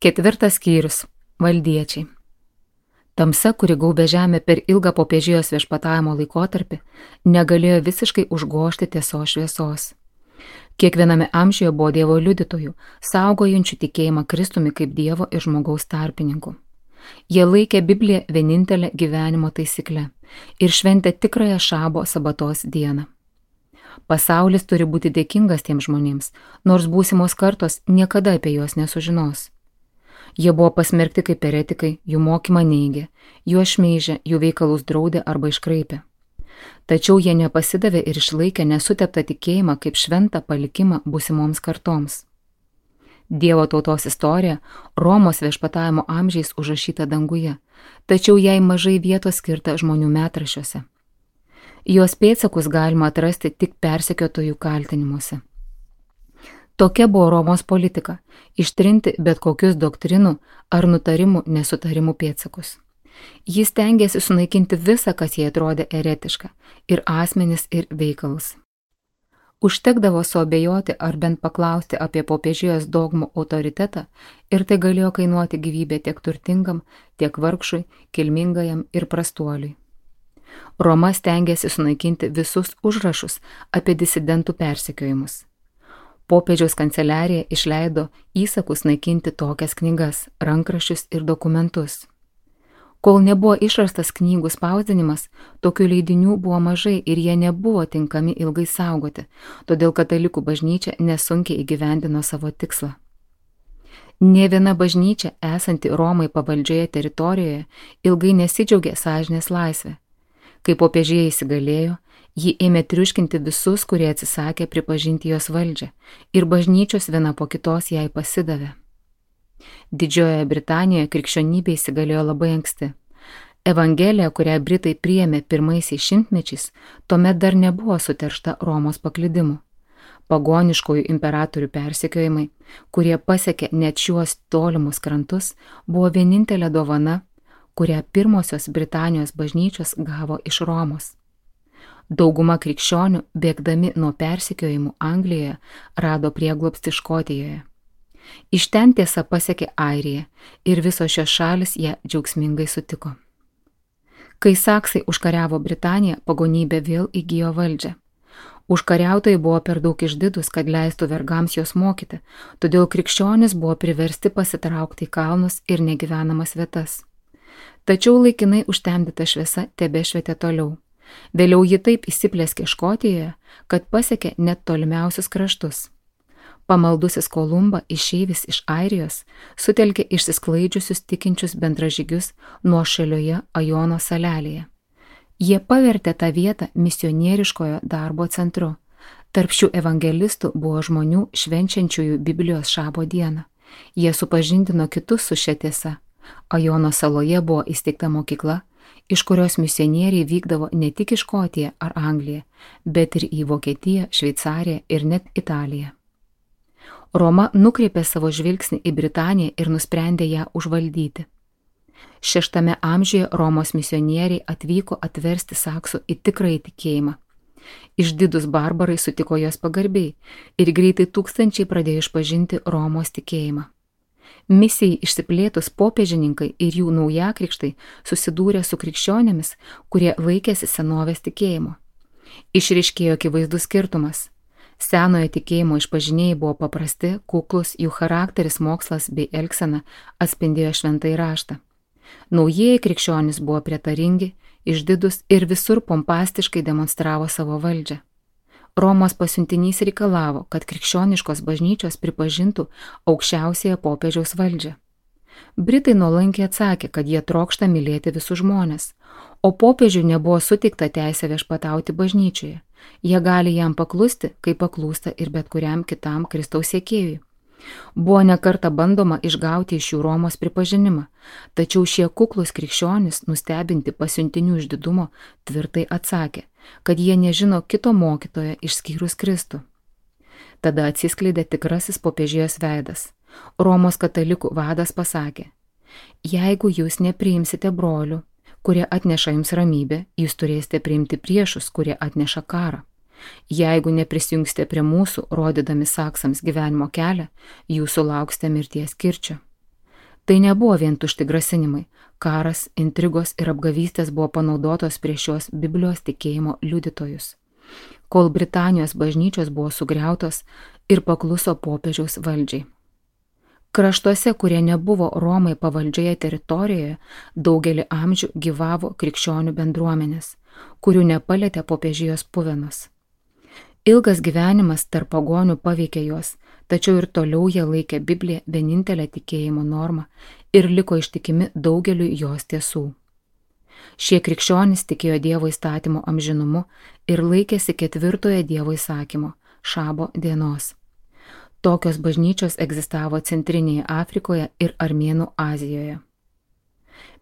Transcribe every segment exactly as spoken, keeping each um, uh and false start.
Ketvirtas skyrius – valdiečiai. Tamsa, kuri gaubė žemę per ilgą popiežijos viešpatavimo laikotarpį, negalėjo visiškai užgožti tiesos šviesos. Kiekviename amžiuje buvo Dievo liudytojų, saugojančių tikėjimą Kristumi kaip Dievo ir žmogaus tarpininku. Jie laikė Bibliją vienintelę gyvenimo taisykle ir šventė tikrąją šabo sabatos dieną. Pasaulis turi būti dėkingas tiems žmonėms, nors būsimos kartos niekada apie juos nesužinos. Jie buvo pasmerkti kaip eretikai, jų mokymą neigė, juos šmeižė, jų veikalus draudė arba iškraipė. Tačiau jie nepasidavė ir išlaikė nesuteptą tikėjimą kaip šventą palikimą būsimoms kartoms. Dievo tautos istorija Romos viešpatavimo amžiais užrašyta danguje, tačiau jai mažai vietos skirta žmonių metraščiuose. Jos pėdsakus galima atrasti tik persekiotojų kaltinimuose. Tokia buvo Romos politika – ištrinti bet kokius doktrinų ar nutarimų nesutarimų pėdsakus. Jis stengėsi sunaikinti visą, kas jai atrodė eretiška – ir asmenis, ir veikalus. Užtekdavo suabejoti ar bent paklausti apie popiežijos dogmų autoritetą ir tai galėjo kainuoti gyvybę tiek turtingam, tiek vargšui, kilmingajam ir prastuoliui. Roma stengėsi sunaikinti visus užrašus apie disidentų persekiojimus. Popiežiaus kanceliarija išleido įsakus naikinti tokias knygas, rankraščius ir dokumentus. Kol nebuvo išrastas knygų spausdinimas, tokių leidinių buvo mažai ir jie nebuvo tinkami ilgai saugoti, todėl katalikų bažnyčia nesunkiai įgyvendino savo tikslą. Nė viena bažnyčia, esanti Romai pavaldžioje teritorijoje, ilgai nesidžiaugė sąžinės laisvę. Kai popiežija įsigalėjo, ji ėmė triuškinti visus, kurie atsisakė pripažinti jos valdžią, ir bažnyčios viena po kitos jai pasidavė. Didžiojoje Britanijoje krikščionybė įsigalėjo labai anksti. Evangelija, kurią Britai priėmė pirmaisiais šimtmečiais, tuomet dar nebuvo suteršta Romos paklydimu. Pagoniškųjų imperatorių persekiojimai, kurie pasiekė net šiuos tolimus krantus, buvo vienintelė dovana, kurią pirmosios Britanijos bažnyčios gavo iš Romos. Dauguma krikščionių, bėgdami nuo persekiojimų Anglijoje, rado prieglobstį Škotijoje. Iš ten tiesa pasiekė Airiją ir visos šios šalis ją džiaugsmingai sutiko. Kai saksai užkariavo Britaniją, pagonybė vėl įgijo valdžią. Užkariautojai buvo per daug išdidus, kad leistų vergams jos mokyti, todėl krikščionys buvo priversti pasitraukti į kalnus ir negyvenamas vietas. Tačiau laikinai užtemdyta šviesa tebešvietė toliau. Vėliau ji taip įsiplėskė Škotijoje, kad pasiekė net tolimiausius kraštus. Pamaldusis Kolumba, išeivis iš Airijos, sutelkė išsisklaidžiusius tikinčius bendražygius nuošalioje Ajono salelėje. Jie pavertė tą vietą misionieriškojo darbo centru. Tarp šių evangelistų buvo žmonių švenčiančiųjų Biblijos šabo dieną. Jie supažindino kitus su šia tiesa. Ajono saloje buvo įsteigta mokykla, iš kurios misionieriai vykdavo ne tik į Škotiją ar Angliją, bet ir į Vokietiją, Šveicariją ir net Italiją. Roma nukreipė savo žvilgsnį į Britaniją ir nusprendė ją užvaldyti. Šeštame amžiuje Romos misionieriai atvyko atversti saksų į tikrąjį tikėjimą. Išdidus barbarai sutiko jos pagarbiai ir greitai tūkstančiai pradėjo išpažinti Romos tikėjimą. Misijai išsiplėtus popiežininkai ir jų naujakrikštai susidūrė su krikščionėmis, kurie laikėsi senovės tikėjimo. Išryškėjo akivaizdus skirtumas. Senojo tikėjimo išpažinėjai buvo paprasti, kuklus, jų charakteris, mokslas bei elgsena atspindėjo šventąjį raštą. Naujieji krikščionys buvo prietaringi, išdidus ir visur pompastiškai demonstravo savo valdžią. Romos pasiuntinys reikalavo, kad krikščioniškos bažnyčios pripažintų aukščiausiąją popiežiaus valdžią. Britai nuolankiai atsakė, kad jie trokšta mylėti visus žmones, o popiežiui nebuvo suteikta teisė viešpatauti bažnyčioje. Jie gali jam paklusti, kaip paklūsta ir bet kuriam kitam Kristaus sekėjui. Buvo nekarta bandoma išgauti iš jų Romos pripažinimą, tačiau šie kuklus krikščionys, nustebinti pasiuntinių išdidumo, tvirtai atsakė, kad jie nežino kito mokytojo išskyrus Kristų. Tada atsiskleidė tikrasis popiežijos veidas. Romos katalikų vadas pasakė: jeigu jūs nepriimsite brolių, kurie atneša jums ramybę, jūs turėsite priimti priešus, kurie atneša karą. Jeigu neprisijungsite prie mūsų, rodydami saksams gyvenimo kelią, jūs sulauksite mirties kirčio. Tai nebuvo vien tušti grasinimai, karas, intrigos ir apgavystės buvo panaudotos prieš šios Biblijos tikėjimo liudytojus, kol Britanijos bažnyčios buvo sugriautos ir pakluso popiežiaus valdžiai. Kraštuose, kurie nebuvo Romai pavaldžioje teritorijoje, daugelį amžių gyvavo krikščionių bendruomenės, kurių nepalietė popiežijos puvenos. Ilgas gyvenimas tarp pagonių paveikė juos, tačiau ir toliau jie laikė Bibliją vienintelę tikėjimo normą ir liko ištikimi daugeliu jos tiesų. Šie krikščionys tikėjo Dievo įstatymo amžinumu ir laikėsi ketvirtojo Dievo įsakymo – šabo dienos. Tokios bažnyčios egzistavo Centrinėje Afrikoje ir Armėnų Azijoje.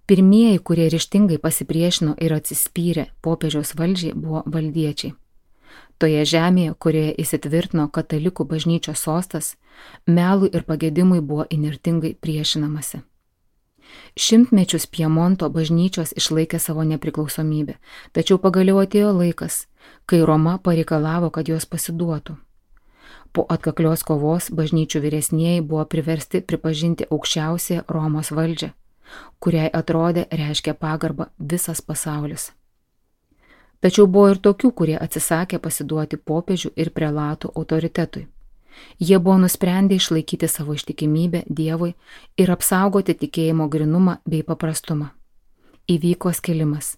Pirmieji, kurie ryžtingai pasipriešino ir atsispyrė popiežiaus valdžiai, buvo valdiečiai. Toje žemėje, kurioje įsitvirtino katalikų bažnyčios sostas, melui ir pagedimui buvo inirtingai priešinamasi. Šimtmečius Piemonto bažnyčios išlaikė savo nepriklausomybę, tačiau pagaliau atėjo laikas, kai Roma pareikalavo, kad jos pasiduotų. Po atkaklios kovos bažnyčių vyresnieji buvo priversti pripažinti aukščiausiąją Romos valdžią, kuriai atrodė reiškia pagarbą visas pasaulis. Tačiau buvo ir tokių, kurie atsisakė pasiduoti popiežių ir prelatų autoritetui. Jie buvo nusprendę išlaikyti savo ištikimybę Dievui ir apsaugoti tikėjimo grynumą bei paprastumą. Įvyko skilimas.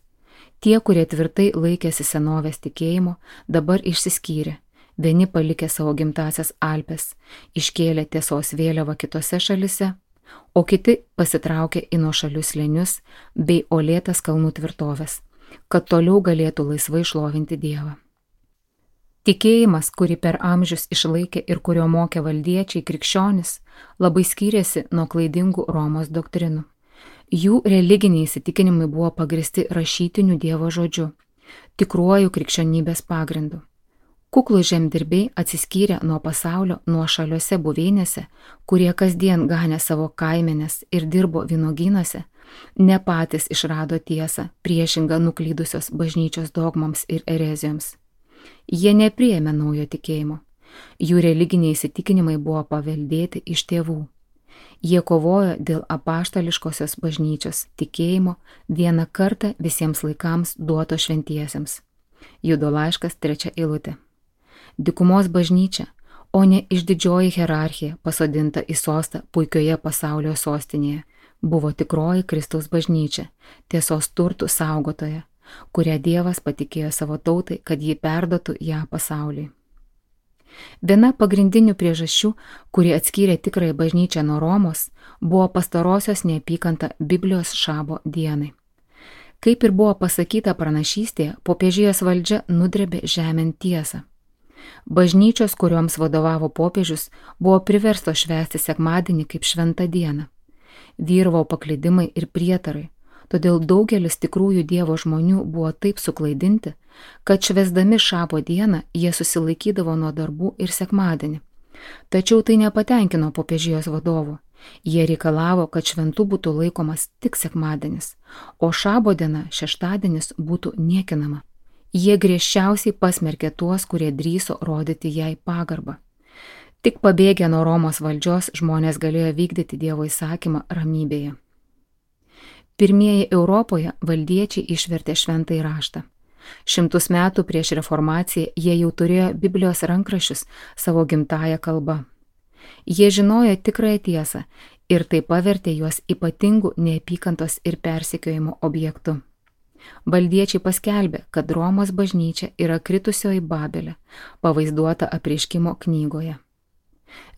Tie, kurie tvirtai laikėsi senovės tikėjimo, dabar išsiskyrė. Vieni palikė savo gimtasias Alpes, iškėlė tiesos vėliavą kitose šalise, o kiti pasitraukė į nuošalius slėnius bei uolėtas kalnų tvirtovės, kad toliau galėtų laisvai šlovinti Dievą. Tikėjimas, kurį per amžius išlaikė ir kurio mokė valdiečiai krikščionis, labai skyrėsi nuo klaidingų Romos doktrinų. Jų religiniai įsitikinimai buvo pagristi rašytiniu Dievo žodžiu, tikruoju krikščionybės pagrindu. Kuklūs žemdirbiai atsiskyrė nuo pasaulio nuošaliuose buveinėse, kurie kasdien ganė savo kaimenes ir dirbo vynuogynuose, ne patys išrado tiesą, priešingą nuklydusios bažnyčios dogmoms ir erezijoms. Jie nepriėmė naujo tikėjimo. Jų religiniai įsitikinimai buvo paveldėti iš tėvų. Jie kovojo dėl apaštališkosios bažnyčios tikėjimo vieną kartą visiems laikams duoto šventiesiems. Judo laiškas trečia eilutė. Dykumos bažnyčia, o ne išdidžioji hierarchija pasodinta į sostą puikioje pasaulio sostinėje, buvo tikroji Kristaus bažnyčia, tiesos turtų saugotoja, kurią Dievas patikėjo savo tautai, kad ji perduotų ją pasauliui. Viena pagrindinių priežasčių, kuri atskyrė tikrąją bažnyčią nuo Romos, buvo pastarosios neapykanta Biblijos šabo dienai. Kaip ir buvo pasakyta pranašystėje, popiežijos valdžia nudrėbė žemėn tiesą. Bažnyčios, kurioms vadovavo popiežius, buvo priverstos švęsti sekmadienį kaip šventą dieną. Vyravo paklydimai ir prietarai, todėl daugelis tikrųjų Dievo žmonių buvo taip suklaidinti, kad švęsdami šabo dieną jie susilaikydavo nuo darbų ir sekmadienį. Tačiau tai nepatenkino popiežijos vadovų. Jie reikalavo, kad šventu būtų laikomas tik sekmadienis, o šabo diena, šeštadienis, būtų niekinama. Jie griežčiausiai pasmerkė tuos, kurie drįso rodyti jai pagarbą. Tik pabėgę nuo Romos valdžios žmonės galėjo vykdyti Dievo įsakymą ramybėje. Pirmieji Europoje valdiečiai išvertė šventąjį raštą. Šimtus metų prieš reformaciją jie jau turėjo Biblijos rankraščius savo gimtąją kalbą. Jie žinojo tikrąją tiesą ir tai pavertė juos ypatingų neapykantos ir persekiojimo objektu. Valdiečiai paskelbė, kad Romos bažnyčia yra kritusioji Babelė, pavaizduota apreiškimo knygoje.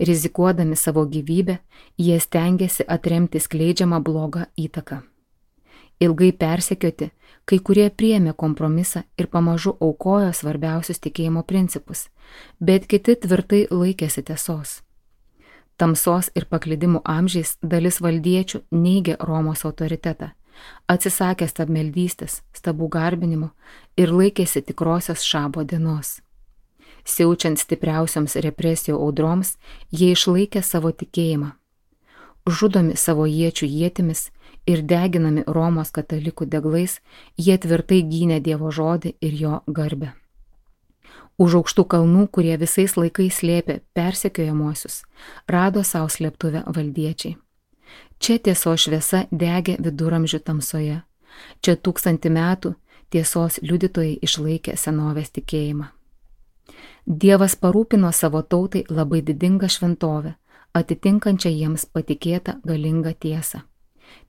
Rizikuodami savo gyvybę, jie stengiasi atremti skleidžiamą blogą įtaką. Ilgai persekioti, kai kurie priėmė kompromisą ir pamažu aukojo svarbiausius tikėjimo principus, bet kiti tvirtai laikėsi tiesos. Tamsos ir paklydimų amžiais dalis valdiečių neigė Romos autoritetą, atsisakė stabmeldystės, stabų garbinimo ir laikėsi tikrosios šabo dienos. Siaučiant stipriausioms represijų audroms, jie išlaikė savo tikėjimą. Žudomi savo iečių ietimis ir deginami Romos katalikų deglais, jie tvirtai gynė Dievo žodį ir jo garbę. Už aukštų kalnų, kurie visais laikais slėpė persekiojamuosius, rado savo slėptuvę valdiečiai. Čia tiesos šviesa degė viduramžių tamsoje. Čia tūkstantį metų tiesos liudytojai išlaikė senovės tikėjimą. Dievas parūpino savo tautai labai didingą šventovę, atitinkančią jiems patikėtą galingą tiesą.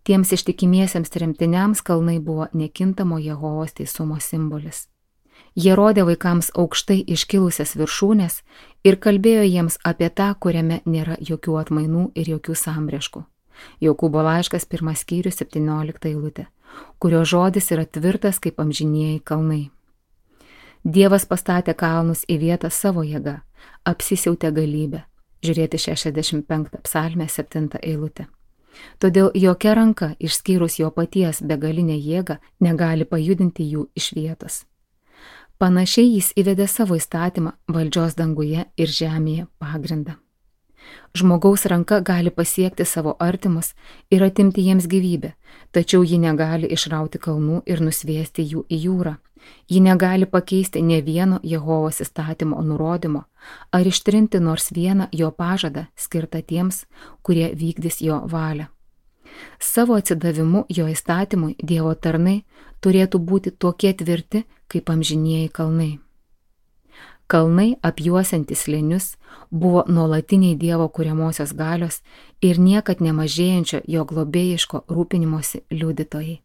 Tiems ištikimiesiems tremtiniams kalnai buvo nekintamo Jehovos teisumo simbolis. Jie rodė vaikams aukštai iškilusias viršūnės ir kalbėjo jiems apie tą, kuriame nėra jokių atmainų ir jokių sambrėškų. Jokūbo laiškas pirmas skyrius septyniolikta eilutė, kurio žodis yra tvirtas kaip amžinieji kalnai. Dievas pastatė kalnus į vietą savo jėga, apsisiautė galybę. Žiūrėti šešiasdešimt penktą psalmę septintą eilutę. Todėl jokia ranka, išskyrus jo paties begalinę jėgą, negali pajudinti jų iš vietos. Panašiai jis įvedė savo įstatymą valdžios danguje ir žemėje pagrindą. Žmogaus ranka gali pasiekti savo artimus ir atimti jiems gyvybę, tačiau ji negali išrauti kalnų ir nusviesti jų į jūrą. Ji negali pakeisti ne vieno Jehovos įstatymo nurodymo ar ištrinti nors vieną jo pažadą skirtą tiems, kurie vykdys jo valią. Savo atsidavimu jo įstatymui Dievo tarnai turėtų būti tokie tvirti kaip amžinieji kalnai. Kalnai, apjuosiantys slėnius, buvo nuolatiniai Dievo kuriamosios galios ir niekad nemažėjančio jo globėjiško rūpinimosi liudytojai.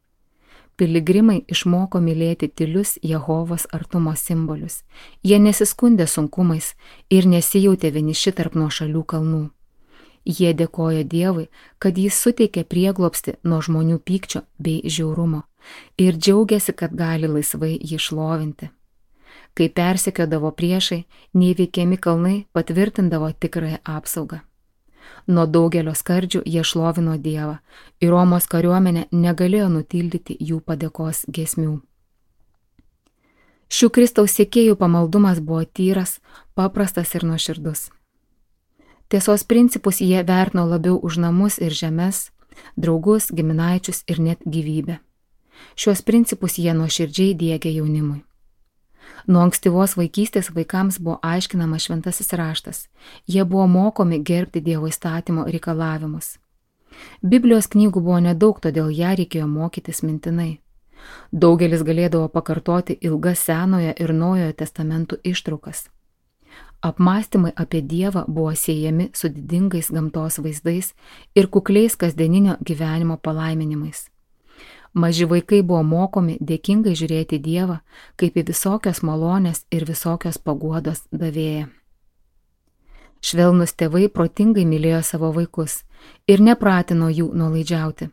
Piligrimai išmoko mylėti tylius Jehovos artumo simbolius. Jie nesiskundė sunkumais ir nesijautė vieniši tarp nuošalių kalnų. Jie dėkojo Dievui, kad jis suteikė prieglobstį nuo žmonių pykčio bei žiaurumo ir džiaugiasi, kad gali laisvai jį šlovinti. Kai persekiodavo priešai, neįveikiami kalnai patvirtindavo tikrąją apsaugą. Nuo daugelio skardžių jie šlovino Dievą ir Romos kariuomenė negalėjo nutildyti jų padėkos giesmių. Šių Kristaus sekėjų pamaldumas buvo tyras, paprastas ir nuoširdus. Tiesos principus jie vertino labiau už namus ir žemes, draugus, giminaičius ir net gyvybę. Šiuos principus jie nuoširdžiai diegė jaunimui. Nuo ankstyvos vaikystės vaikams buvo aiškinamas šventasis raštas. Jie buvo mokomi gerbti Dievo įstatymo reikalavimus. Biblijos knygų buvo nedaug, todėl ją reikėjo mokytis mintinai. Daugelis galėdavo pakartoti ilgas Senojo ir Naujojo testamentų ištraukas. Apmąstymai apie Dievą buvo siejami su didingais gamtos vaizdais ir kukliais kasdieninio gyvenimo palaiminimais. Maži vaikai buvo mokomi dėkingai žiūrėti Dievą kaip į visokios malonės ir visokios paguodos davėją. Švelnus tėvai protingai mylėjo savo vaikus ir nepratino jų nuolaidžiauti.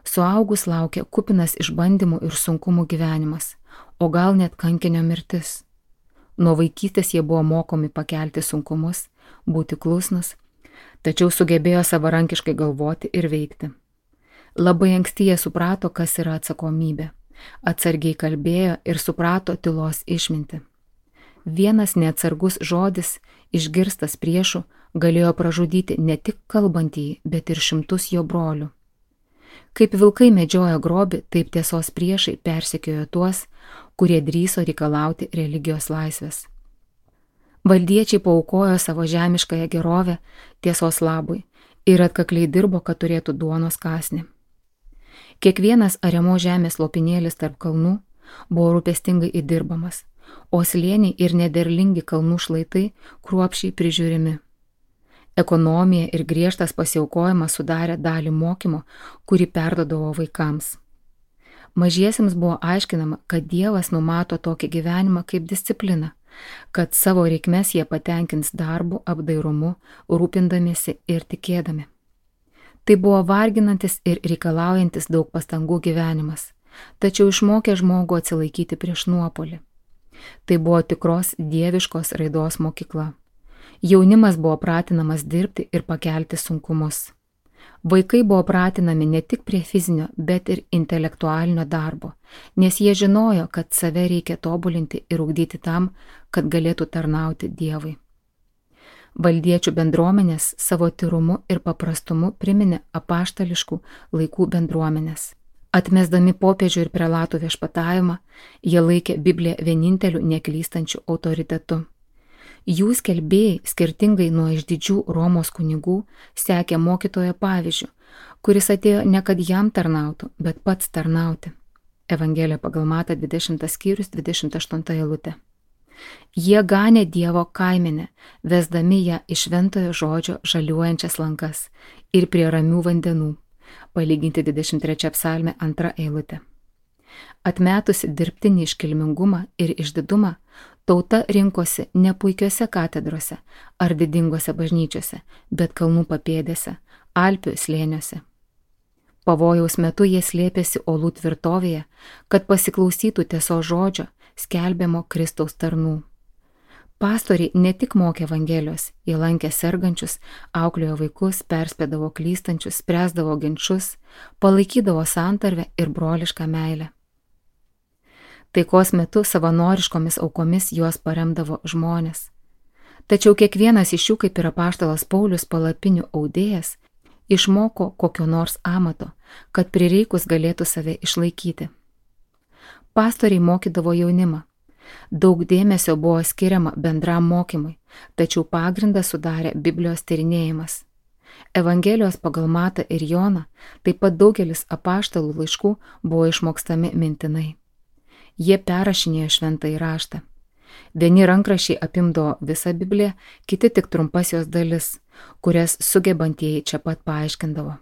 Suaugus laukia kupinas išbandymų ir sunkumų gyvenimas, o gal net kankinio mirtis. Nuo vaikystės jie buvo mokomi pakelti sunkumus, būti klusnus, tačiau sugebėjo savarankiškai galvoti ir veikti. Labai anksti jie suprato, kas yra atsakomybė. Atsargiai kalbėjo ir suprato tylos išmintį. Vienas neatsargus žodis, išgirstas priešų, galėjo pražudyti ne tik kalbantįjį, bet ir šimtus jo brolių. Kaip vilkai medžiojo grobį, taip tiesos priešai persekiojo tuos, kurie drįso reikalauti religijos laisvės. Valdiečiai paaukojo savo žemiškąją gerovę tiesos labui ir atkakliai dirbo, kad turėtų duonos kąsnį. Kiekvienas ariamo žemės lopinėlis tarp kalnų buvo rūpestingai įdirbamas, o slėniai ir nederlingi kalnų šlaitai kruopščiai prižiūrimi. Ekonomija ir griežtas pasiaukojimas sudarė dalį mokymo, kurį perdodavo vaikams. Mažiesiems buvo aiškinama, kad Dievas numato tokį gyvenimą kaip discipliną, kad savo reikmes jie patenkins darbu, apdairumu, rūpindamiesi ir tikėdami. Tai buvo varginantis ir reikalaujantis daug pastangų gyvenimas, tačiau išmokė žmogų atsilaikyti prieš nuopolį. Tai buvo tikros dieviškos raidos mokykla. Jaunimas buvo pratinamas dirbti ir pakelti sunkumus. Vaikai buvo pratinami ne tik prie fizinio, bet ir intelektualinio darbo, nes jie žinojo, kad save reikia tobulinti ir ugdyti tam, kad galėtų tarnauti Dievui. Valdiečių bendruomenės savo tyrumu ir paprastumu priminė apaštališkų laikų bendruomenės. Atmesdami popiežių ir prelatų viešpatavimą, jie laikė Bibliją vieninteliu neklystančiu autoritetu. Jų skelbėjai, skirtingai nuo išdidžių Romos kunigų, sekė mokytojo pavyzdžiu, kuris atėjo ne kad jam tarnautų, bet pats tarnauti. Evangelija pagal Matą dvidešimtas skyrius dvidešimt aštunta eilutė. Jie ganė Dievo kaimenę, vesdami ją iš šventojo žodžio žaliuojančias lankas ir prie ramių vandenų, palyginti dvidešimt trečia psalmė antra eilutė. Atmetusi dirbtinį iškilmingumą ir išdidumą, tauta rinkosi ne puikiose katedrose ar didingose bažnyčiose, bet kalnų papėdėse, Alpių slėniuose. Pavojaus metu jie slėpėsi olų tvirtovėje, kad pasiklausytų tiesos žodžio, skelbiamo Kristaus tarnų. Pastoriai ne tik mokė Evangelijos, jie lankė sergančius, auklėjo vaikus, perspėdavo klystančius, spręsdavo ginčus, palaikydavo santarvę ir brolišką meilę. Taikos metu savanoriškomis aukomis juos paremdavo žmonės. Tačiau kiekvienas iš jų, kaip ir apaštalas Paulius palapinių audėjas, išmoko kokio nors amato, kad prireikus galėtų save išlaikyti. Pastoriai mokydavo jaunimą. Daug dėmesio buvo skiriama bendram mokymui, tačiau pagrindą sudarė Biblijos tyrinėjimas. Evangelijos pagal Matą ir Joną, taip pat daugelis apaštalų laiškų buvo išmokstami mintinai. Jie perrašinėjo šventąjį raštą. Vieni rankraščiai apimdavo visą Bibliją, kiti tik trumpas jos dalis, kurias sugebantieji čia pat paaiškindavo.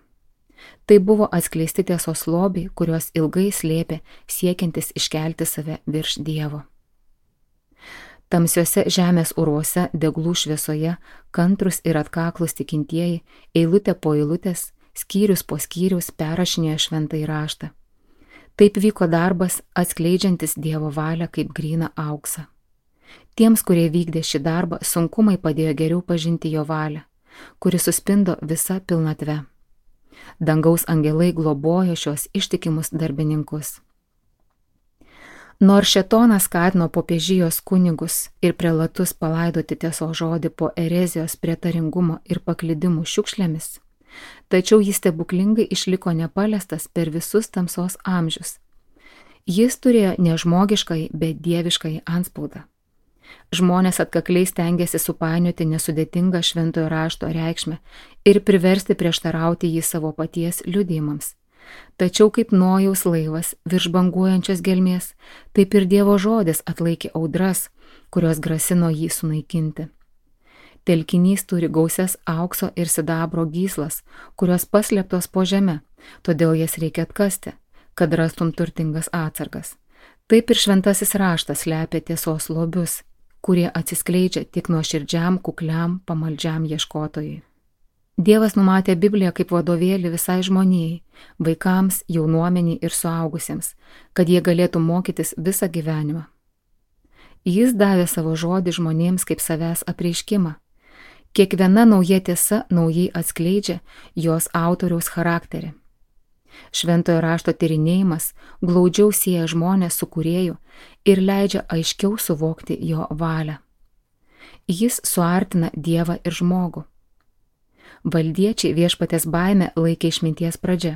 Tai buvo atskleisti tiesos lobiai, kuriuos ilgai slėpė siekiantis iškelti save virš Dievo. Tamsiuose žemės urvuose, deglų šviesoje, kantrus ir atkaklus tikintieji, eilutė po eilutės, skyrius po skyrius perrašinėjo šventąjį raštą. Taip vyko darbas, atskleidžiantis Dievo valią kaip gryną auksą. Tiems, kurie vykdė šį darbą, sunkumai padėjo geriau pažinti jo valią, kuri suspindo visa pilnatve. Dangaus angelai globojo šios ištikimus darbininkus. Nors šėtonas skatino popiežijos kunigus ir prelatus palaidoti tiesos žodį po erezijos prietaringumo ir paklydimų šiukšlėmis, tačiau jis stebuklingai išliko nepaliestas per visus tamsos amžius. Jis turėjo ne žmogiškai, bet dieviškai antspaudą. Žmonės atkakliai stengiasi supainioti nesudėtingą šventojo rašto reikšmę ir priversti prieštarauti jį savo paties liudijimams. Tačiau kaip Nojaus laivas virš banguojančios gelmės, taip ir Dievo žodis atlaikė audras, kurios grasino jį sunaikinti. Telkinys turi gausias aukso ir sidabro gyslas, kurios paslėptos po žeme, todėl jas reikia atkasti, kad rastum turtingas atsargas. Taip ir šventasis raštas slepia tiesos lobius, kurie atsiskleidžia tik nuoširdžiam, kukliam, pamaldžiam ieškotojui. Dievas numatė Bibliją kaip vadovėlį visai žmonijai, vaikams, jaunuomeniai ir suaugusiems, kad jie galėtų mokytis visą gyvenimą. Jis davė savo žodį žmonėms kaip savęs apreiškimą. Kiekviena nauja tiesa naujai atskleidžia jos autoriaus charakterį. Šventojo rašto tyrinėjimas glaudžiau sieja žmonės su kūrėju ir leidžia aiškiau suvokti jo valią. Jis suartina Dievą ir žmogų. Valdiečiai viešpatės baimę laikė išminties pradžia,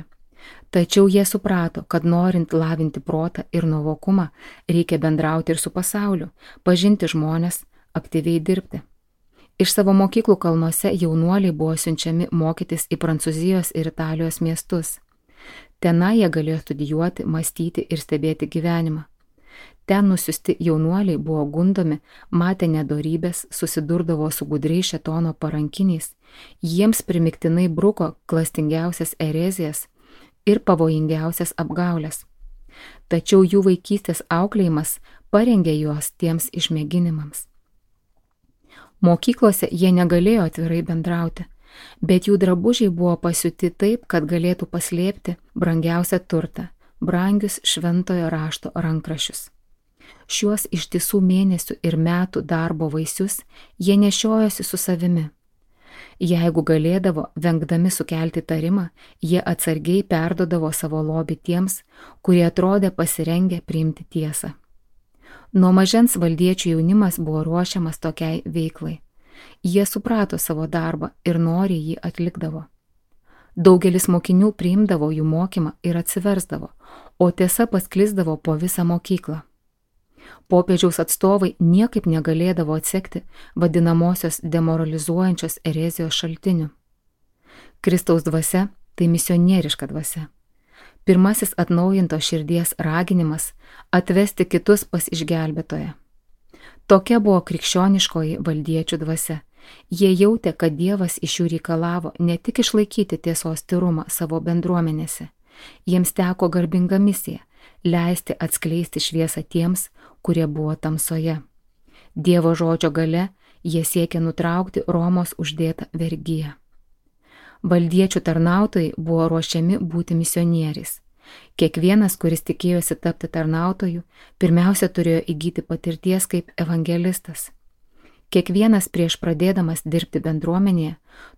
tačiau jie suprato, kad norint lavinti protą ir nuovokumą, reikia bendrauti ir su pasauliu, pažinti žmonės, aktyviai dirbti. Iš savo mokyklų kalnuose jaunuoliai buvo siunčiami mokytis į Prancūzijos ir Italijos miestus. Tenai jie galėjo studijuoti, mąstyti ir stebėti gyvenimą. Ten nusiusti jaunuoliai buvo gundomi, matė nedorybės, susidurdavo su gudriai šėtono parankiniais, jiems primiktinai bruko klastingiausias erezijas ir pavojingiausias apgaulės. Tačiau jų vaikystės auklėjimas parengė juos tiems išmėginimams. Mokyklose jie negalėjo atvirai bendrauti, bet jų drabužiai buvo pasiūti taip, kad galėtų paslėpti brangiausią turtą, brangius šventojo rašto rankraščius. Šiuos ištisų mėnesių ir metų darbo vaisius jie nešiojosi su savimi. Jeigu galėdavo, vengdami sukelti tarimą, jie atsargiai perdodavo savo lobį tiems, kurie atrodė pasirengę priimti tiesą. Nuo mažens valdiečių jaunimas buvo ruošiamas tokiai veiklai. Jie suprato savo darbą ir noriai jį atlikdavo. Daugelis mokinių priimdavo jų mokymą ir atsiversdavo, o tiesa pasklisdavo po visą mokyklą. Popiežiaus atstovai niekaip negalėdavo atsekti vadinamosios demoralizuojančios erezijos šaltinių. Kristaus dvasia, tai misionieriška dvasia. Pirmasis atnaujinto širdies raginimas – atvesti kitus pas išgelbėtoją. Tokia buvo krikščioniškoji valdiečių dvasia. Jie jautė, kad Dievas iš jų reikalavo ne tik išlaikyti tiesos tyrumą savo bendruomenėse. Jiems teko garbinga misija – leisti atskleisti šviesą tiems, kurie buvo tamsoje. Dievo žodžio gale jie siekė nutraukti Romos uždėtą vergiją. Valdiečių tarnautojai buvo ruošiami būti misionieriais. Kiekvienas, kuris tikėjosi tapti tarnautoju, pirmiausia turėjo įgyti patirties kaip evangelistas. Kiekvienas prieš pradėdamas dirbti bendruomenėje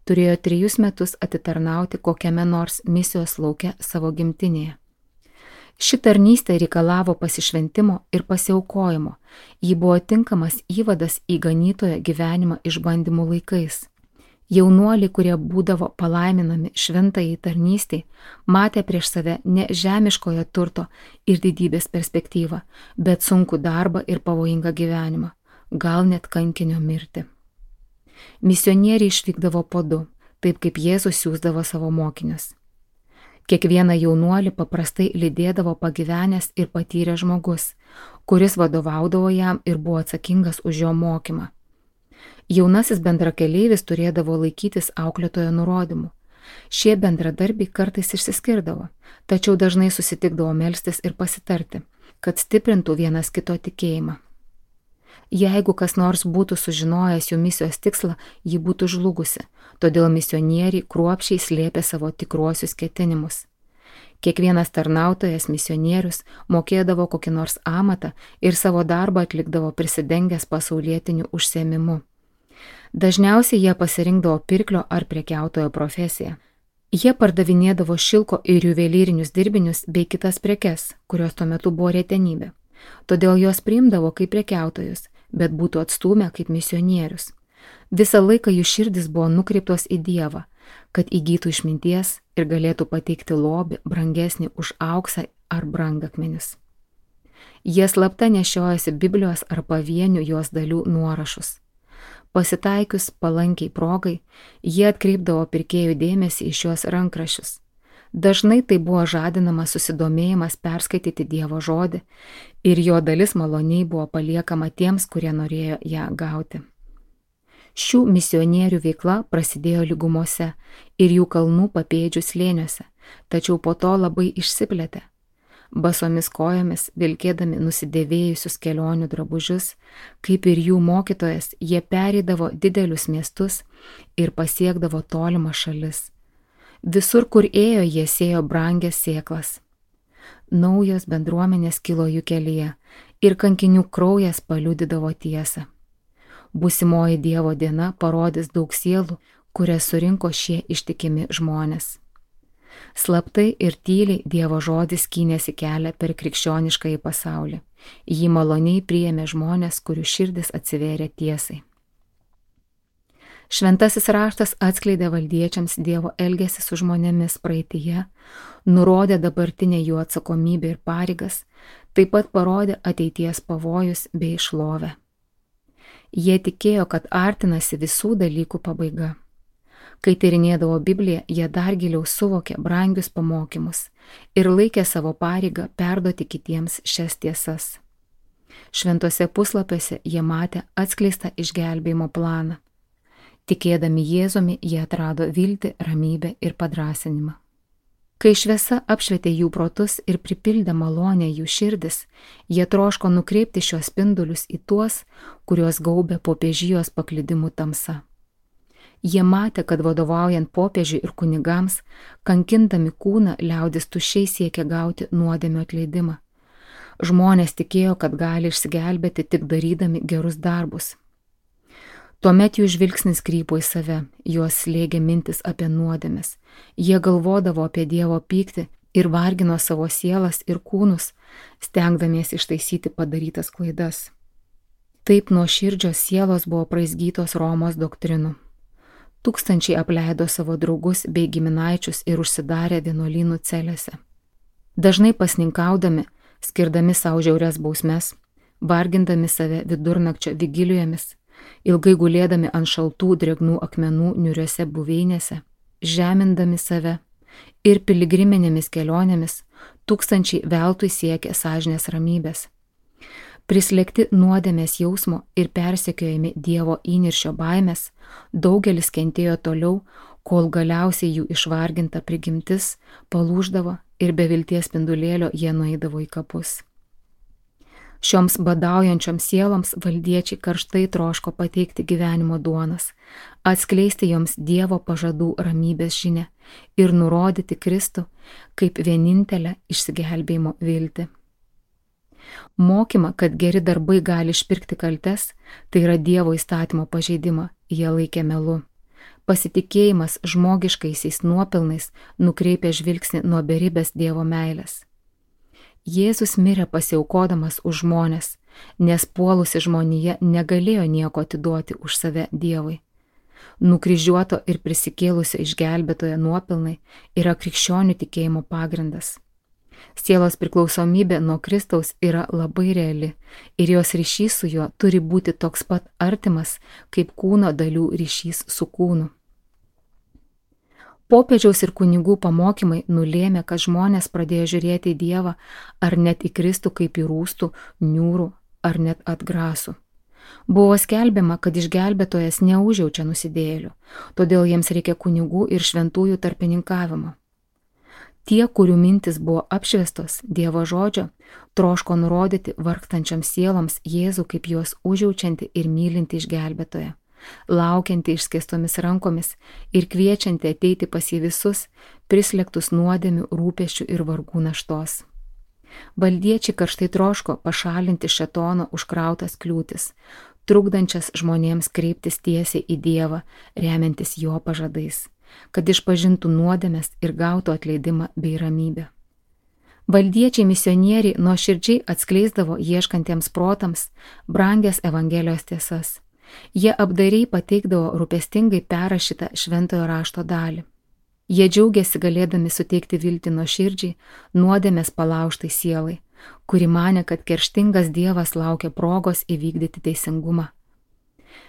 turėjo trijus metus atitarnauti kokiame nors misijos lauke savo gimtinėje. Ši tarnystė reikalavo pasišventimo ir pasiaukojimo. Ji buvo tinkamas įvadas į ganytojo gyvenimą išbandymų laikais. Jaunuoliai, kurie būdavo palaiminami šventajai tarnystei, matė prieš save ne žemiškojo turto ir didybės perspektyvą, bet sunkų darbą ir pavojingą gyvenimą, gal net kankinio mirtį. Misionieriai išvykdavo po du, taip kaip Jėzus siųsdavo savo mokinius. Kiekvieną jaunuolį paprastai lydėdavo pagyvenęs ir patyręs žmogus, kuris vadovaudavo jam ir buvo atsakingas už jo mokymą. Jaunasis bendrakeleivis turėdavo laikytis auklėtojo nurodymų. Šie bendradarbiai kartais išsiskirdavo, tačiau dažnai susitikdavo melstis ir pasitarti, kad stiprintų vienas kito tikėjimą. Jeigu kas nors būtų sužinojęs jų misijos tikslą, ji būtų žlugusi, todėl misionieriai kruopščiai slėpė savo tikruosius ketinimus. Kiekvienas tarnautojas misionierius mokėdavo kokį nors amatą ir savo darbą atlikdavo prisidengęs pasaulietiniu užsiėmimu. Dažniausiai jie pasirinkdavo pirklio ar prekiautojo profesiją. Jie pardavinėdavo šilko ir juvelyrinius dirbinius bei kitas prekes, kurios tuo metu buvo retenybė. Todėl juos priimdavo kaip prekiautojus, bet būtų atstūmę kaip misionierius. Visą laiką jų širdis buvo nukreiptos į Dievą, kad įgytų išminties ir galėtų pateikti lobį brangesnį už auksą ar brangakmenis. Jie slapta nešiojasi Biblijos ar pavienių jos dalių nuorašus. Pasitaikius palankiai progai, jie atkreipdavo pirkėjų dėmesį į šios rankraščius. Dažnai tai buvo žadinamas susidomėjimas perskaityti Dievo žodį ir jo dalis maloniai buvo paliekama tiems, kurie norėjo ją gauti. Šių misionierių veikla prasidėjo lygumose ir jų kalnų papėdžių slėniuose, tačiau po to labai išsiplėtė. Basomis kojomis, vilkėdami nusidėvėjusius kelionių drabužius, kaip ir jų mokytojas, jie pereidavo didelius miestus ir pasiekdavo tolimas šalis. Visur, kur ėjo, jie sėjo brangias sėklas. Naujos bendruomenės kilo jų kelyje ir kankinių kraujas paliudydavo tiesą. Būsimoji Dievo diena parodys daug sielų, kurias surinko šie ištikimi žmonės. Slaptai ir tyliai Dievo žodis skynėsi kelią per krikščioniškąjį pasaulį. Jį maloniai priėmė žmonės, kurių širdis atsivėrė tiesai. Šventasis raštas atskleidė valdiečiams Dievo elgesį su žmonėmis praeityje, nurodė dabartinę jų atsakomybę ir pareigas, taip pat parodė ateities pavojus bei šlovę. Jie tikėjo, kad artinasi visų dalykų pabaiga. Kai tyrinėdavo Bibliją, jie dar giliau suvokė brangius pamokymus ir laikė savo pareigą perduoti kitiems šias tiesas. Šventuose puslapiuose jie matė atskleistą išgelbėjimo planą. Tikėdami Jėzumi, jie atrado viltį, ramybę ir padrąsinimą. Kai šviesa apšvietė jų protus ir pripildė malonę jų širdis, jie troško nukreipti šios spindulius į tuos, kuriuos gaubė popiežijos paklydimų tamsa. Jie matė, kad vadovaujant popiežiui ir kunigams, kankindami kūną, liaudis tuščiai siekia gauti nuodėmio atleidimą. Žmonės tikėjo, kad gali išsigelbėti tik darydami gerus darbus. Tuomet jų žvilgsnis krypo į save, juos slėgė mintis apie nuodėmes. Jie galvodavo apie Dievo pyktį ir vargino savo sielas ir kūnus, stengdamiesi ištaisyti padarytas klaidas. Taip nuoširdžios sielos buvo praizgytos Romos doktrinų. Tūkstančiai apleido savo draugus bei giminaičius ir užsidarė vienuolynų celėse. Dažnai pasninkaudami, skirdami savo žiaurias bausmes, vargindami save vidurnakčio vigilijomis, ilgai gulėdami ant šaltų drėgnų akmenų niūriose buveinėse, žemindami save, Ir piligriminėmis kelionėmis tūkstančiai veltui siekė sąžinės ramybės. Prislėgti nuodėmės jausmo ir persekiojami Dievo įniršio baimės, daugelis kentėjo toliau, kol galiausiai jų išvarginta prigimtis palūždavo ir be vilties spindulėlio jie nueidavo į kapus. Šioms badaujančioms sieloms valdiečiai karštai troško pateikti gyvenimo duonas, atskleisti joms Dievo pažadų ramybės žinią ir nurodyti Kristų kaip vienintelę išsigelbėjimo viltį. Mokymą, kad geri darbai gali išpirkti kaltes, tai yra Dievo įstatymo pažeidimą, jie laikė melu. Pasitikėjimas žmogiškaisiais nuopelnais nukreipia žvilgsnį nuo beribės Dievo meilės. Jėzus mirė pasiaukodamas už žmones, nes puolusi žmonija negalėjo nieko atiduoti už save Dievui. Nukryžiuoto ir prisikėlusio išgelbėtojo nuopelnai yra krikščionių tikėjimo pagrindas. Sielos priklausomybė nuo Kristaus yra labai reali ir jos ryšys su juo turi būti toks pat artimas, kaip kūno dalių ryšys su kūnu. Popiežiaus ir kunigų pamokymai nulėmė, kad žmonės pradėjo žiūrėti į Dievą ar net į Kristų kaip į rūstų, niūrų ar net atgrasų. Buvo skelbiama, kad išgelbėtojas neužjaučia nusidėjėlių, todėl jiems reikia kunigų ir šventųjų tarpininkavimo. Tie, kurių mintis buvo apšviestos Dievo žodžio, troško nurodyti vargstančiams sieloms Jėzų kaip juos užjaučianti ir mylinti išgelbėtoją, laukianti išskėstomis rankomis ir kviečianti ateiti pas jį visus, prislėgtus nuodėmių, rūpesčių ir vargų naštos. Valdiečiai karštai troško pašalinti šėtono užkrautas kliūtis, trukdančias žmonėms kreiptis tiesiai į Dievą, remiantis jo pažadais, kad išpažintų nuodėmes ir gautų atleidimą bei ramybę. Valdiečiai misionieriai nuoširdžiai atskleisdavo ieškantiems protams brangias Evangelijos tiesas. Jie apdairiai pateikdavo rūpestingai perrašytą šventojo rašto dalį. Jie džiaugiasi galėdami suteikti viltį nuoširdžiai, nuodėmės palaužtai sielai, kuri manė, kad kerštingas Dievas laukia progos įvykdyti teisingumą.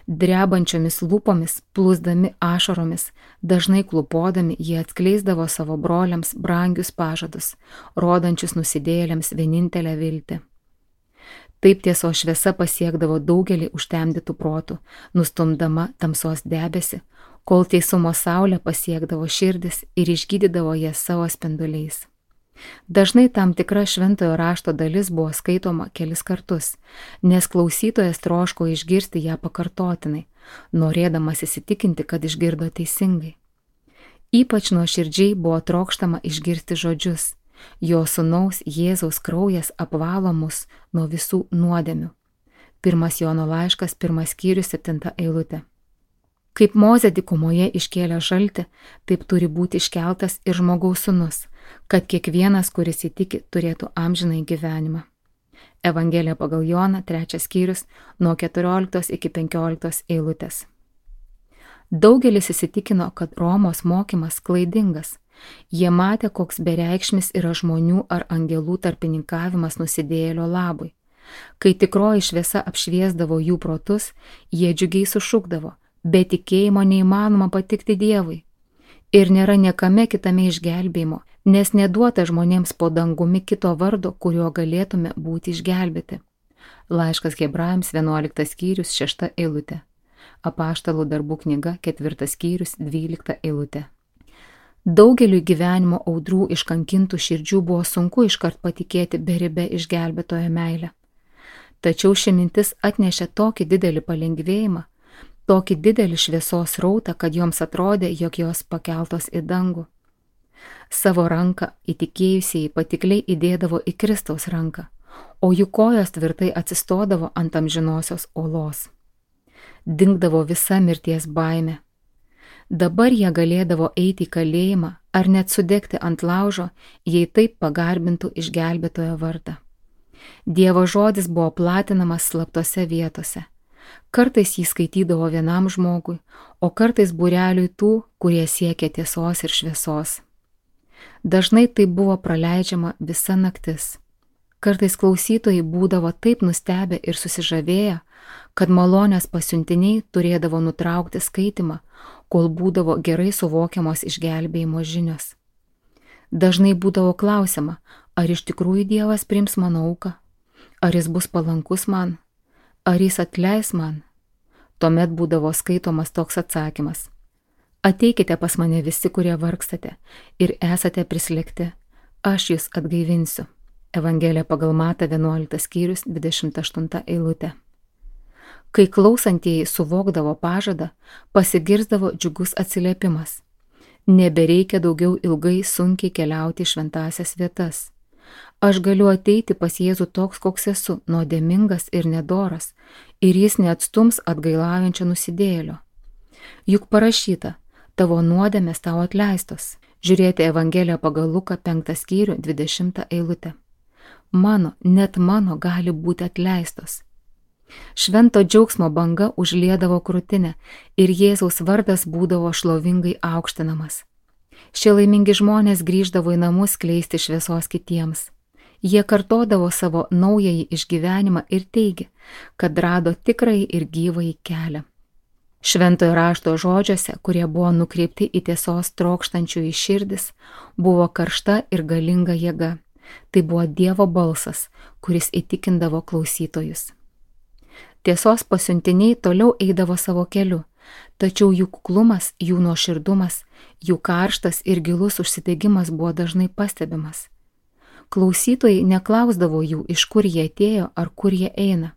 Drebančiomis lūpomis, plūsdami ašaromis, dažnai klupodami, jie atskleisdavo savo broliams brangius pažadus, rodančius nusidėjėliams vienintelę viltį. Taip tiesos šviesa pasiekdavo daugelį užtemdytų protų, nustumdama tamsos debesį, kol teisumo saulė pasiekdavo širdis ir išgydydavo jas savo spinduliais. Dažnai tam tikra šventojo rašto dalis buvo skaitoma kelis kartus, nes klausytojas troško išgirsti ją pakartotinai, norėdamas įsitikinti, kad išgirdo teisingai. Ypač nuoširdžiai buvo trokštama išgirsti žodžius: jo sūnaus Jėzaus kraujas apvalo mus nuo visų nuodėmių. Pirmas Jono laiškas, pirmas skyrius, septinta eilutė. Kaip Mozė dykumoje iškėlė žaltį, taip turi būti iškeltas ir žmogaus sūnus, kad kiekvienas, kuris įtiki, turėtų amžinąjį gyvenimą. Evangelija pagal Joną, trečias skyrius, nuo keturioliktos iki penkioliktos eilutės. Daugelis įsitikino, kad Romos mokymas klaidingas. Jie matė, koks bereikšmis yra žmonių ar angelų tarpininkavimas nusidėjėlio labui. Kai tikroji šviesa apšviesdavo jų protus, jie džiugiai sušukdavo: be tikėjimo neįmanoma patikti Dievui. Ir nėra niekame kitame išgelbėjimo, nes neduota žmonėms po dangumi kito vardo, kuriuo galėtume būti išgelbėti. Laiškas Hebrajams, vienuoliktas skyrius, šešta eilutė. Apaštalų darbų knyga, ketvirtas skyrius, dvylikta eilutė. Daugeliui gyvenimo audrų iškankintų širdžių buvo sunku iškart patikėti beribę išgelbėtojo meilę. Tačiau ši mintis atnešė tokį didelį palengvėjimą, tokį didelį šviesos rautą, kad joms atrodė, jog jos pakeltos į dangų. Savo ranką įtikėjusieji patikliai įdėdavo į Kristaus ranką, o jų kojos tvirtai atsistodavo ant amžinosios olos. Dingdavo visa mirties baimė. Dabar jie galėdavo eiti į kalėjimą ar net sudegti ant laužo, jei taip pagarbintų išgelbėtojo vardą. Dievo žodis buvo platinamas slaptose vietose. Kartais jį skaitydavo vienam žmogui, o kartais būreliui tų, kurie siekė tiesos ir šviesos. Dažnai tai buvo praleidžiama visa naktis. Kartais klausytojai būdavo taip nustebę ir susižavėję, kad malonės pasiuntiniai turėdavo nutraukti skaitimą, kol būdavo gerai suvokiamos išgelbėjimo žinios. Dažnai būdavo klausima, ar iš tikrųjų Dievas priims mano auką, ar jis bus palankus man, ar jis atleis man. Tuomet būdavo skaitomas toks atsakymas: ateikite pas mane visi, kurie vargstate ir esate prislėgti, aš jūs atgaivinsiu. Evangelija pagal Matą vienuoliktas skyrius dvidešimt aštunta eilutė. Kai klausantieji suvokdavo pažadą, pasigirzdavo džiugus atsiliepimas: nebereikia daugiau ilgai sunkiai keliauti į šventąsias vietas. Aš galiu ateiti pas Jėzų toks, koks esu, nuodėmingas ir nedoras, ir jis neatstums atgailaujančio nusidėjėlio. Juk parašyta, tavo nuodėmės tau atleistos. Žiūrėti Evangeliją pagal Luką penktą skyrių dvidešimtą eilutę. Mano, net mano gali būti atleistos. Švento džiaugsmo banga užliedavo krūtinę ir Jėzaus vardas būdavo šlovingai aukštinamas. Šie laimingi žmonės grįždavo į namus skleisti šviesos kitiems. Jie kartodavo savo naująjį išgyvenimą ir teigė, kad rado tikrąjį ir gyvąjį kelią. Šventojo rašto žodžiuose, kurie buvo nukreipti į tiesos trokštančių į širdis, buvo karšta ir galinga jėga. Tai buvo Dievo balsas, kuris įtikindavo klausytojus. Tiesos pasiuntiniai toliau eidavo savo keliu, tačiau jų kuklumas, jų nuoširdumas, jų karštas ir gilus užsidegimas buvo dažnai pastebimas. Klausytojai neklausdavo jų, iš kur jie atėjo ar kur jie eina.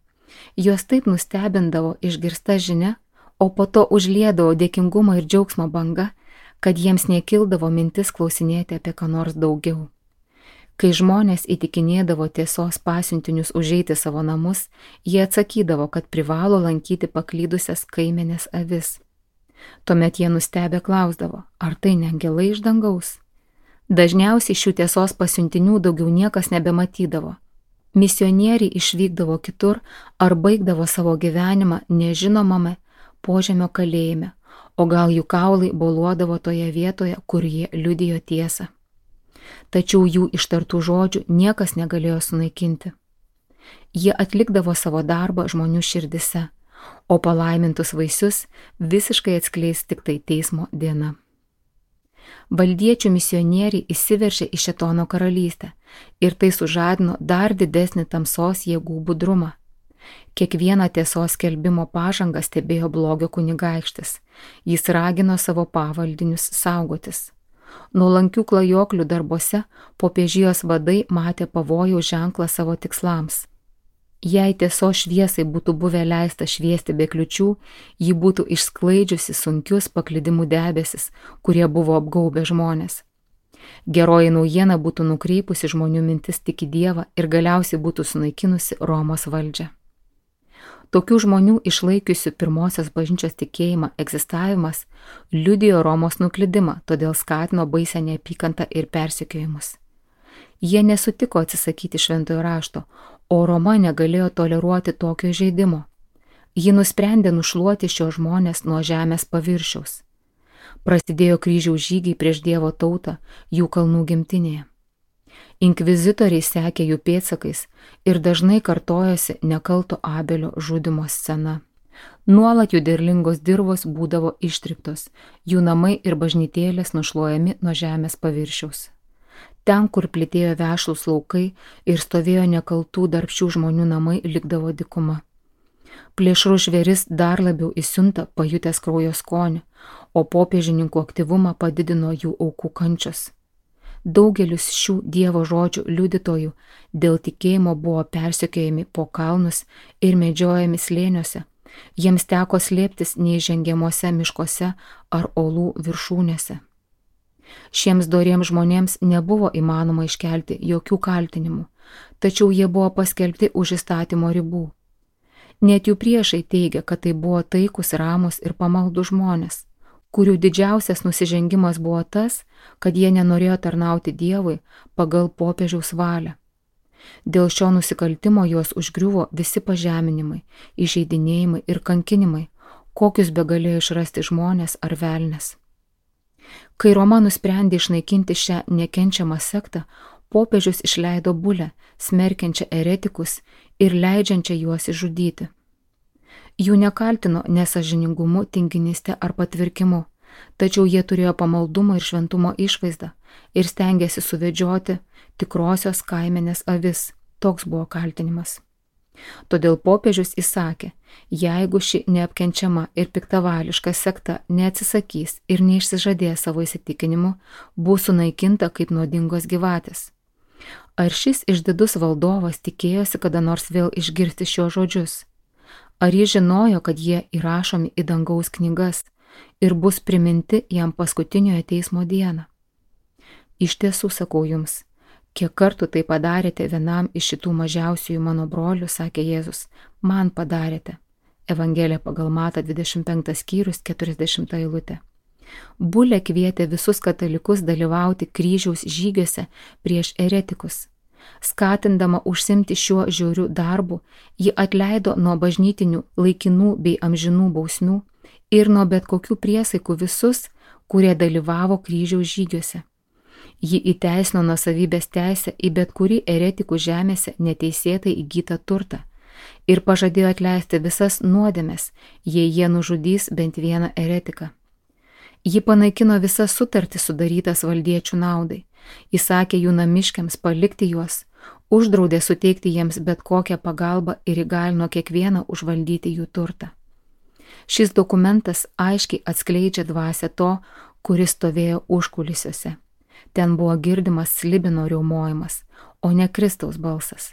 Juos taip nustebindavo išgirsta žinia, o po to užliedavo dėkingumo ir džiaugsmo banga, kad jiems nekildavo mintis klausinėti apie ką nors daugiau. Kai žmonės įtikinėdavo tiesos pasiuntinius užeiti savo namus, jie atsakydavo, kad privalo lankyti paklydusias kaimenės avis. Tuomet jie nustebę klausdavo, ar tai ne angelai iš dangaus? Dažniausiai šių tiesos pasiuntinių daugiau niekas nebematydavo. Misionieriai išvykdavo kitur ar baigdavo savo gyvenimą nežinomame požemio kalėjime, o gal jų kaulai boluodavo toje vietoje, kur jie liudijo tiesą. Tačiau jų ištartų žodžių niekas negalėjo sunaikinti. Jie atlikdavo savo darbą žmonių širdise, o palaimintus vaisius visiškai atskleis tik tai teismo diena. Valdiečių misionieriai įsiveržė į šėtono karalystę ir tai sužadino dar didesnį tamsos jėgų budrumą. Kiekvieną tiesos skelbimo pažangą stebėjo blogio kunigaikštis, jis ragino savo pavaldinius saugotis. Nuolankių klajoklių darbuose popiežijos vadai matė pavojaus ženklą savo tikslams. Jei tiesos šviesai būtų buvę leista šviesti be kliučių, ji būtų išsklaidžiusi sunkius paklydimų debesis, kurie buvo apgaubę žmonės. Geroji naujiena būtų nukreipusi žmonių mintis tik į Dievą ir galiausiai būtų sunaikinusi Romos valdžią. Tokių žmonių išlaikiusių pirmosios bažnyčios tikėjimą egzistavimas liudijo Romos nuklydimą, todėl skatino baisią neapykantą ir persekiojimus. Jie nesutiko atsisakyti šventojo rašto, o Roma negalėjo toleruoti tokio įžeidimo. Ji nusprendė nušluoti šios žmonės nuo žemės paviršiaus. Prasidėjo kryžiaus žygiai prieš Dievo tautą jų kalnų gimtinėje. Inkvizitoriai sekė jų pėdsakais ir dažnai kartojosi nekalto Abelio žudymo scena. Nuolat jų derlingos dirvos būdavo ištryptos, jų namai ir bažnytėlės nušluojami nuo žemės paviršiaus. Ten, kur plitėjo vešlūs laukai ir stovėjo nekaltų darbščių žmonių namai, likdavo dykuma. Plėšrų žvėris dar labiau įsiunta pajutęs kraujo skonį, o popiežininkų aktyvumą padidino jų aukų kančios. Daugelis šių Dievo žodžių liudytojų dėl tikėjimo buvo persekiojami po kalnus ir medžiojami slėniuose. Jiems teko slėptis neįžengiamuose miškuose ar olų viršūnėse. Šiems doriems žmonėms nebuvo įmanoma iškelti jokių kaltinimų, tačiau jie buvo paskelbti už įstatymo ribų. Net jų priešai teigia, kad tai buvo taikus, ramus ir pamaldų žmonės, kurių didžiausias nusižengimas buvo tas, kad jie nenorėjo tarnauti Dievui pagal popiežiaus valią. Dėl šio nusikaltimo juos užgriuvo visi pažeminimai, įžeidinėjimai ir kankinimai, kokius begalėjo išrasti žmonės ar velnės. Kai Roma nusprendė išnaikinti šią nekenčiamą sektą, popiežius išleido bulę, smerkiančią eretikus ir leidžiančią juos išžudyti. Jų nekaltino nesąžiningumu, tinginyste ar patvirkimu, tačiau jie turėjo pamaldumo ir šventumo išvaizdą ir stengėsi suvedžioti tikrosios kaimenės avis. Toks buvo kaltinimas. Todėl popiežius įsakė, jeigu ši neapkenčiama ir piktavališka sekta neatsisakys ir neišsižadės savo įsitikinimu, bus sunaikinta kaip nuodingos gyvatės. Ar šis išdidus valdovas tikėjosi kada nors vėl išgirsti šios žodžius? Ar jis žinojo, kad jie įrašomi į dangaus knygas ir bus priminti jam paskutiniojo teismo dieną? Iš tiesų sakau jums, kiek kartų tai padarėte vienam iš šitų mažiausiųjų mano brolių, sakė Jėzus, man padarėte. Evangelija pagal Matą dvidešimt penktas skyrius keturiasdešimta eilutė. Bulė kvietė visus katalikus dalyvauti kryžiaus žygiuose prieš eretikus. Skatindama užsimti šiuo žiauriu darbu, ji atleido nuo bažnytinių, laikinų bei amžinų bausmių ir nuo bet kokių priesaikų visus, kurie dalyvavo kryžiaus žygiuose. Ji įteisino nuosavybės teisę į bet kurį eretikų žemėse neteisėtai įgytą turtą ir pažadėjo atleisti visas nuodėmes, jei jie nužudys bent vieną eretiką. Ji panaikino visas sutartis sudarytas valdiečių naudai, įsakė jų namiškiams palikti juos, uždraudė suteikti jiems bet kokią pagalbą ir įgalino kiekvieną užvaldyti jų turtą. Šis dokumentas aiškiai atskleidžia dvasią to, kuris stovėjo užkulisiuose. Ten buvo girdimas slibino riaumojimas, o ne Kristaus balsas.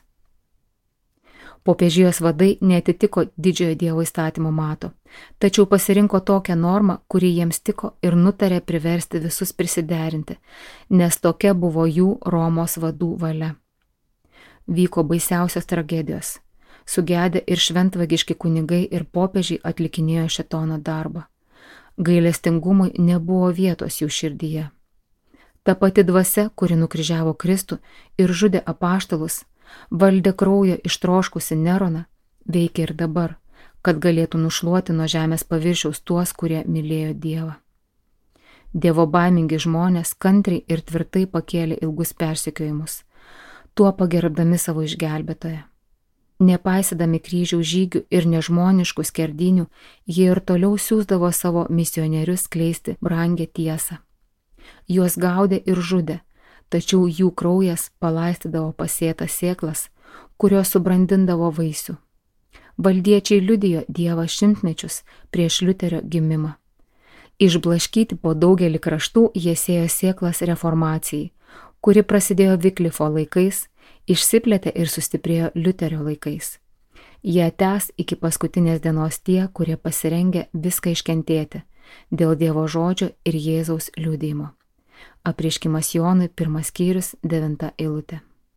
Popiežijos vadai neatitiko didžiojo Dievo įstatymo mato, tačiau pasirinko tokią normą, kuri jiems tiko ir nutarė priversti visus prisiderinti, nes tokia buvo jų Romos vadų valia. Vyko baisiausios tragedijos. Sugedę ir šventvagiški kunigai ir popiežiai atlikinėjo šėtono darbą. Gailestingumui nebuvo vietos jų širdyje. Ta pati dvasia, kuri nukryžiavo Kristų ir žudė apaštalus, valdė kraujo ištroškusi Neroną, veikia ir dabar, kad galėtų nušluoti nuo žemės paviršiaus tuos, kurie mylėjo Dievą. Dievo baimingi žmonės kantriai ir tvirtai pakėlė ilgus persekiojimus, tuo pagerbdami savo išgelbėtoją. Nepaisydami kryžiaus žygių ir nežmoniškų skerdynių, jie ir toliau siųsdavo savo misionierius skleisti brangią tiesą. Juos gaudė ir žudė, tačiau jų kraujas palaistydavo pasėtas sėklas, kurios subrandindavo vaisių. Valdiečiai liudijo Dievą šimtmečius prieš Liuterio gimimą. Išblaškyti po daugelį kraštų jie sėjo sėklas reformacijai, kuri prasidėjo Viklifo laikais, išsiplėtė ir sustiprėjo Liuterio laikais. Jie tęs iki paskutinės dienos tie, kurie pasirengė viską iškentėti dėl Dievo žodžio ir Jėzaus liudijimo. Apreiškimas Jonui, pirmas skyrius, devinta eilutė.